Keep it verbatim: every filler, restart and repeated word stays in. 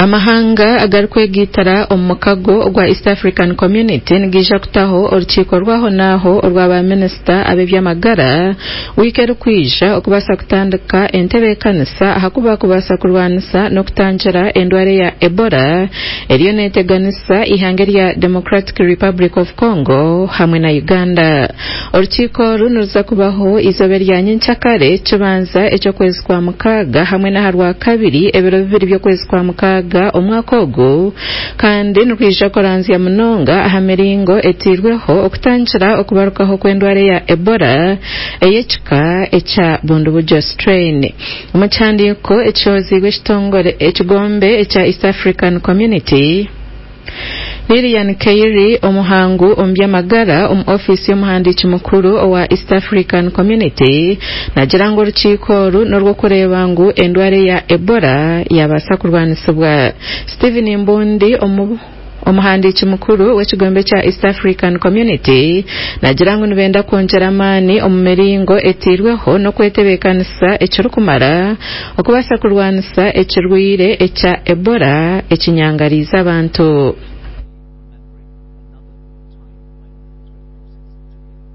Amahanga agarikwegaitira omu mukago ogwa East African Community nigaija kutaho orukiiko rwaho naaho orwa baminisita ab'eby'amagara wiiki erikwija okubaasa kutandika entebeekanisa ahakuba kubaasa kurwanisa n'okutangira endwara eya Ebola eriyo neeteganisa eihanga erya Democratic Republic of Congo hamwe na Uganda. Orukiiko oru niruza kubaho eizooba erya nyenkyakare kibanza eky'okwezi kwa mukaaga hamwe n'aha rwakabiri ebiro bibiri by'okwezi kwa mukaaga omwaka ogu, kandi nirwija kuranzya munonga aha miringo etairweho okutangira okubarukaho kw'endwara eya Ebola ey'ekika ekya Bundibugyo strain. Omu kihandiiko ekishohoziibwe ekitongore ekigombe ekya East African Community, Lilian Keiri, omuhangu omu by'amagara omu ofiisi y'omuhandiiki mukuru owa East African Community, naagira ngu orukiiko oru n'orw'okureeba ngu endwara eya Ebola yabaasa kurwanisibwa. Stephen Mbundi, omu omuhandiiki mukuru w'ekigombe kya East African Community, naagira ngu nibenda kwongyera amaani omu miringo etairweho n'okwetebeekanisa ekirikumara okubaasa kurwanisa ekirwaire ekya Ebola ekinyangariize abantu.